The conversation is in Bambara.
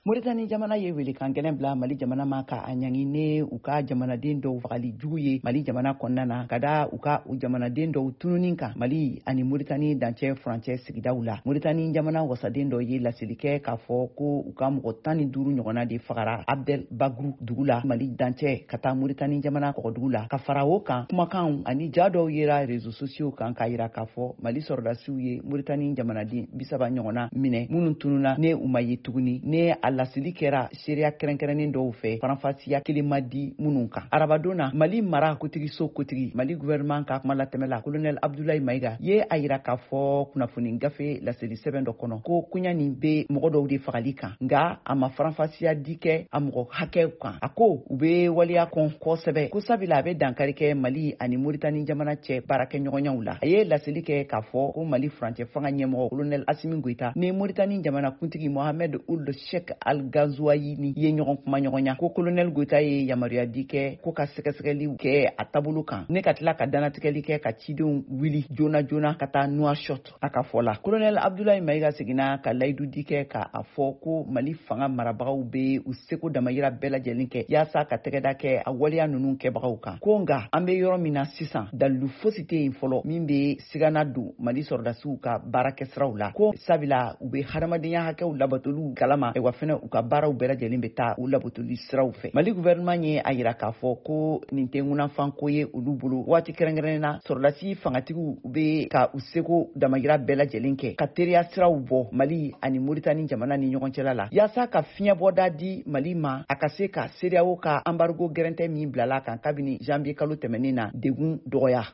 Moritani jamana ye welekan gɛlɛn bila Mali jamana ma ka a ɲangi ne u ka jamanaden dɔw fagali jugu ye Mali jamana kɔnɔna na, ka da u ka u jamanaden dɔw tununi kan Mali ani Moritani dancɛ furancɛ sigidaw la. Moritani jamana wasaden dɔ ye laseli kɛ k'a fɔ ko u ka mɔgɔ 15 ɲɔgɔnna de fagara Abdel Bagru dugu la, Mali dancɛ ka taa Moritani jamana kɔgɔdugu la. Ka fara o kan, kumakanw ani ja dɔw yera réseaux sociaux kan k'a yira k'a fɔ Mali sɔrɔdasiw ye Moritani jamanaden 30 ɲɔgɔnna minɛ minnu tununa, ne u ma ye tuguni, ne a laseli kɛra seereya kɛrɛnkɛrɛnnen dɔw fɛ, faranfasiya kelen ma di minnu kan. Arabadon na, Mali mara kotigiso kotigi, Mali gouvernement ka kuma latɛmɛla, Colonel Abdoulaye Mayiga ye a yira k'a fɔ kunnafoni gafe laseli sɛbɛn dɔ kɔnɔ ko koɲa nin bɛ mɔgɔ dɔw de fagali kan, nka a ma faranfasiya di kɛ a mɔgɔ hakɛw kan. A ko u bɛ waleya kɔn kosɛbɛ, ko sabula a bɛ dankari kɛ Mali ani Moritani jamana cɛ baarakɛɲɔgɔnyaw la. A ye laseli kɛ k'a fɔ ko Mali furancɛ fanga ɲɛmɔgɔ Colonel Asimi Goyita ni Moritani jamana kuntigi Mohamed Ould Sheikh Al Ghazouani ye ɲɔgɔn kuma ɲɔgɔnya, ko Colonel Goyita ye yamaruya di kɛ ko ka sɛgɛsɛgɛliw kɛ a taabolo kan, ne ka tila ka danatigɛli kɛ ka cidenw wuli joona joona ka taa Nouakchott. A ka fɔ la, Colonel Abdoulaye Mayiga seginna ka layidu di kɛ ka a fɔ ko Mali fanga marabagaw bɛ u seko damayira bɛɛ lajɛlen kɛ yaasa ka tɛgɛda kɛ a waleya ninnu kɛbagaw kan, ko nka an bɛ yɔrɔ min na sisan, dalilu fosi tɛ yen fɔlɔ min bɛ sigana don Mali sɔrɔdasiw ka baarakɛsiraw la, ko sabula u bɛ hadamadenya hakɛw labatoliw kalama, wa fɛnɛ u ka baaraw bɛɛ lajɛlen bɛ taa u labatoli siraw fɛ. Mali gouvernement ye a yira k'a fɔ ko nin tɛ ŋunanfanko ye olu bolo. Waati kɛrɛnkɛrɛnnen na, sɔrɔdasi fangatigiw bɛ ka u seko damayira bɛɛ lajɛlen kɛ ka teriya siraw bɔ Mali ani Moritani jamana ni ɲɔgɔn cɛla la, yaasa ka fiɲɛbɔda di Mali ma, a ka se ka CEDEAO ka embargo gɛrɛntɛ min bilala kan kabini janvier kalo tɛmɛnen na degun dɔgɔya.